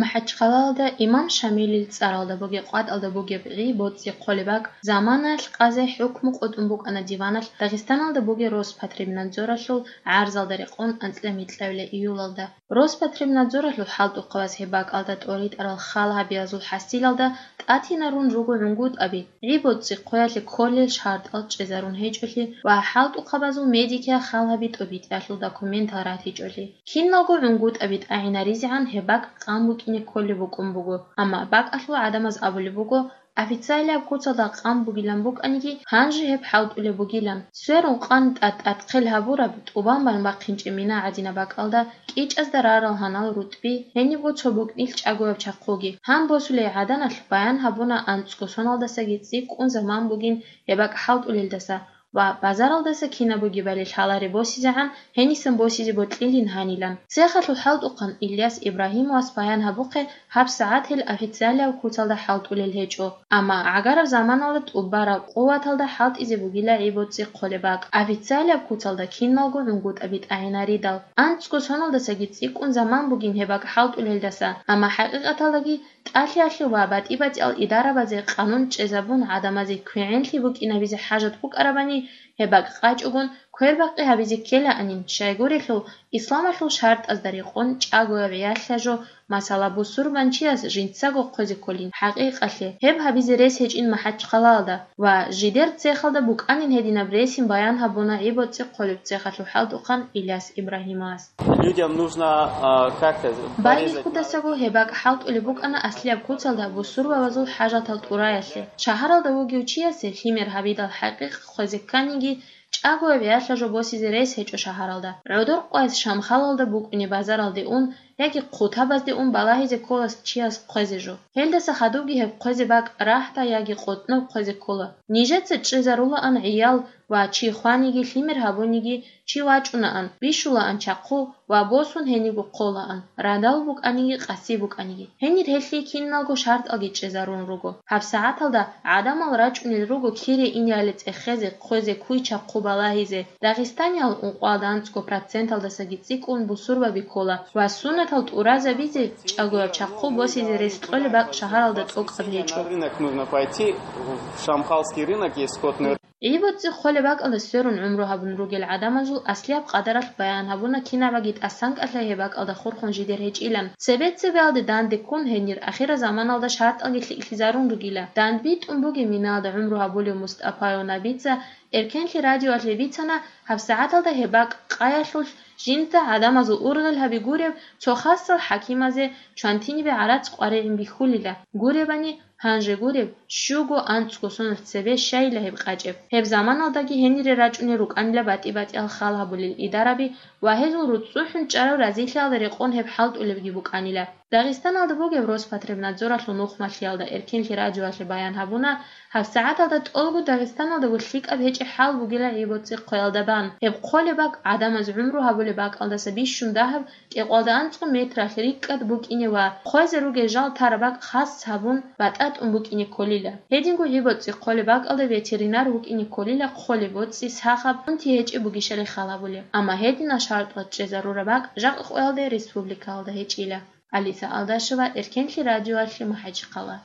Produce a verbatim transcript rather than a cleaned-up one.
МахӀачхъалаялда Имам Шамилил цӀаралда бугеб къватӀалда бугеб гӀи-боцӀи хъолеб бакӀ заманаялъ къазе хӀукму къотӀун букӀана диваналъ Дагъистаналда бугеб Роспотребнадзоралъул гӀарзалда рекъон анцӀила микьабила июлалда. Роспотребнадзоралъул хӀалтӀухъабаз гьеб бакӀалда тӀоритӀарал хал гьабиязул хӀасилалда тӀатинарун руго гӀунгутӀаби, гӀи-боцӀи хъоялъе кколел шартӀал чӀезарун гьечӀолъи ва хӀалтӀухъабазул медикиял хал гьаби тӀобитӀиялъул документал ратичӀолъи. Киналго гӀунгутӀаби тӀагӀинаризегӀан гьеб бакӀ къан букӀине кколеб букӀун буго, амма бакӀалъул гӀадамаз абулеб буго, официалияб куцалда къан бугилан букӀаниги, гьанже гьеб хӀалтӀулеб бугилан. Сверун къан тӀад-тӀад хъел гьабураб, тӀубан бан бахъинчӀеб мина гӀадинаб бакӀалда, кӀичӀазда рарал гьанал рутӀби, гьенибго цо букӀнилъ чӀагояб чахъуги. Гьан босулей гӀаданалъ баян гьабуна анцӀго соналдасаги цӀикӀкӀун заман бугин гьеб бакӀ хӀалтӀулелдаса ва базаралдаса кинаб бугебали лъаларе босизегӀан гьенисан босизе бокьилин гьанилан. Цехалъул хӀалтӀухъан Ильяс Ибрагьимовас баян гьабухъе, гьабсагӀат гьел официалияб куцалда хӀалтӀулел гьечӀо, амма гӀагараб заманалда тӀубараб къуваталда хӀалтӀизе бугила гӀи-боцӀи хъолеб бакӀ, официалияб куцалда киналго гӀунгутӀаби тӀагӀинаридал. АнцӀго соналдасаги цӀикӀкӀун заман бугин гьеб бакӀ хӀалтӀулелдаса, амма хӀакъикъаталдаги ТӀалъиялъе ва батӀи-батӀиял идарабазе къанун чӀезабун, гӀадамазе квегӀенлъи букӀинабизе хӀажат букӀарабани, гьеб бакӀ къачӀогун квербакъи гьабизе ккелаанин, щайгурелъул исламалъул шартӀазда рекъон чӀагояб гӀиялъа жо, масала, бусурбанчияс жинцаго хъвезе кколин. ХӀакъикъалъе, гьеб гьабизе рес гьечӀин МахӀачхъалаялда ва жидер цехалда букӀанин гьединаб ресин баян гьабуна гӀи-боцӀи хъолеб цехалъул хӀалтӀухъан Ильяс Ибрагьимовас. Людям нужно, а, как-то порезать. Байбихьудасаго гьеб бакӀ хӀалтӀулеб букӀана аслияб куцалда бусурбабазул хӀажатал тӀураялъе. Шагьаралда вугев чиясе лъимер гьабидал хӀакъикъ хъвезе кканиги, чӀагояб гӀиялъа жо босизе рес гьечӀо шагьаралда. ГӀодор къвайс Шамхалалда букӀине базаралде ун яги хъутабазде ун балагьизе ккола чияс хъвезе жо. Гьелдаса хадубги гьеб хъвезе бакӀ рагьда яги къотӀноб хъвезе ккола. Нижеца чӀезарулаан гӀиял ва чи хваниги, лъимер гьабуниги, чи вачӀунаан, бищулаан чахъу ва босун гьениго хъолаан, радал букӀаниги, къаси букӀаниги. Гьенир гьелъие киналго шартӀалги чӀезарун руго. ГьабсагӀаталда гӀадамал рачӀунел руго кире инеялде цӀехезе, хъвезе, куй-чахъу балагьизе. Дагъистаниял ункъоялда анцӀго проценталдасаги цӀикӀкӀун бусурбаби ккола ва суннатал тӀуразабизе чӀагояб чахъу босизе рес кьолеб бакӀ шагьаралда тӀокӀаб гьечӀо. На рынок нужно пойти, в Шамхалский рынок есть скотный. ГӀи-боцӀи хъолеб бакӀалда сверун гӀумру гьабун ругел гӀадамазул аслияб къадаралъ баян гьабуна, кинабаги тӀасанкӀалъай гьеб бакӀалда хурхун жидер гьечӀилан. Цебе-цебеялде данде ккун гьенир ахирзаманалда шартӀалги лъикӀлъизарун ругила. ДандбитӀун бугеб миналда гӀумру гьабулев Мустапаев Набица Эркенлъи радиоялъе бицана, гьабсагӀаталда гьеб бакӀ къаялъулъ жинда гӀадамазул ургъел гьаби гуреб цо хасал хӀакимазе чвантинибе гӀарац къваригӀин бихьулила. Гуребани, гьанже гуреб, щуго анцӀго соналъ цебе щайила гьеб къачӀеб. Гьеб заманалдаги гьенире рачӀунел рукӀанила батӀи-батӀиял хал гьабулел идараби ва гьезул руцӀцӀухӀун чӀарав разилъиялда рекъон гьеб хӀалтӀулебги букӀанила. Дагъистаналда бугеб Роспотребнадзоралъул нухмалъиялда Эркенлъи радиоялъе баян гьабуна, гьабсагӀаталда тӀолго Дагъистаналдаго лъикӀаб гьечӀеб хӀал бугила гӀи-боцӀи хъоялда бан. Гьеб хъолеб бакӀ гӀадамаз гӀумру гьабулеб бакӀалдаса бищун дагьаб кӀикъоялда анцӀго метралъ рикӀкӀад букӀине ва хъвезе ругел жал тараб бакӀ хас гьабун, батӀа тӀун букӀине кколила. Гьединго гӀи-боцӀи хъолеб бакӀалда ветеринар вукӀине кколила хъолеб боцӀи сахаб унти гьечӀеб бугищали хал гьабулеб. Амма гьединал шартӀал чӀезарураб бакӀ жакъа къоялде республикаялда гьечӀила. Алиса Алдашева, Эркенлъи радиоялъе, МахӀачхъала.